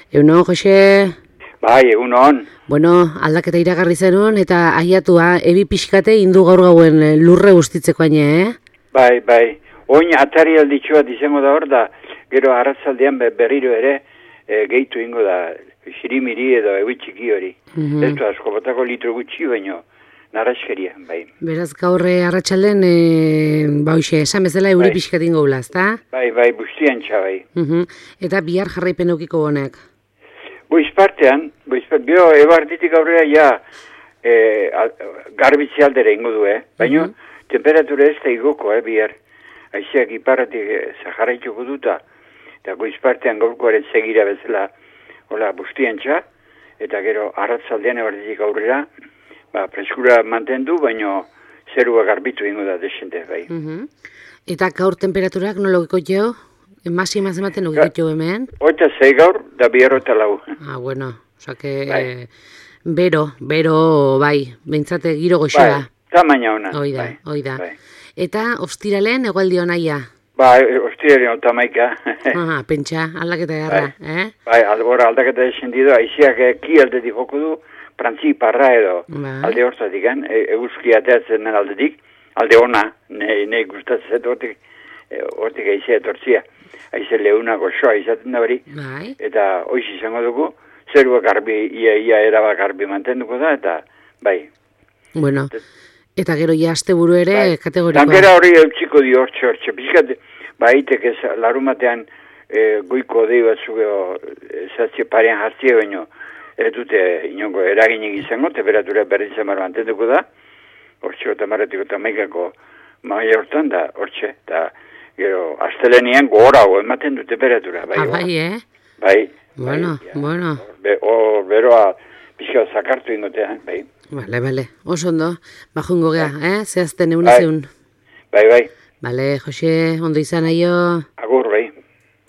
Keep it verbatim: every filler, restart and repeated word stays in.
Egunon, Jose? Bai, egunon. Bueno, aldaketa iragarri zenuen eta aiatua ebi pixkate indu gaur gauen lurre guztitzeko aine, eh? Bai, bai. Oin atari alditxoa izango da hor da, gero arratzaldean berriro ere e, gehitu ingo da, xirimiri edo ebi txiki hori. Mm-hmm. Ez du asko botako litro gutxi baino, narraskeria, bai. Beraz gaurre arratsalden e, ba hoxe, esan bezala euri bai. Pixkat ingo gula, ezta? Bai, bai, bustian txa, bai. Mm-hmm. Eta bihar jarraipen eukiko honek? Boiz partean, boiz partean, bio ebarditik aurrera ja e, garbitzi aldera ingo du, eh? Baina mm-hmm. temperatura ez da igoko, eh, bihar. Aizeak iparratik zaharraituko duta, eta goiz partean gaurkoaren segira bezala, hola, bustian txa, eta gero arratzaldean ebarditik aurrera, ba, preskura mantendu, baina zerua garbitu ingo da desente, bai. Mm-hmm. Eta gaur temperaturak nologiko jo? Masima zematen ugiko hemen? Oita zei gaur, da bihar eta lau. Ah, bueno, oza que... Bai. Bero, bero, bai, behintzate giro goxoa. Bai, tamaina ona. Oida, bai, oida. Bai. Eta ostiralen egualdi onaia? Bai, ostiralen otamaika. Ah, pentsa, aldaketa garra, bai. eh? Bai, albora aldaketa esendido, aiziak ki aldetik joko du, prantzi parra edo, bai. Alde hortatik, e, eguzki ateatzen den aldetik, alde ona, nahi gustatzen hortik, hortik aizea etortzia. Aize leuna goxoa izaten da hori, bai. Eta hoiz izango dugu, zerua garbi, ia, ia eraba garbi mantenduko da, eta bai. Bueno, eta gero ja asteburu ere bai. Kategorikoa. Tankera hori eutxiko di hortxe hortxe, pizkat, ba, itek ez larumatean e, goiko dei batzuk ezatze parean jartzie baino, ez dute inongo eraginik izango, temperatura berdin zamar mantenduko da, hortxe eta marretiko eta maikako maia hortan da, hortxe, eta gero, astelenian gora hau ematen du temperatura. Bai, ah, bai, eh? Bai. Bueno, bai, bueno. Be, o, beroa pixka zakartu ingotean, bai. Vale, vale. Oso ondo, bajungo gea, bai. Eh? Zehazten egun bai. Ezeun. Bai, bai. Vale, Jose, ondo izan aio.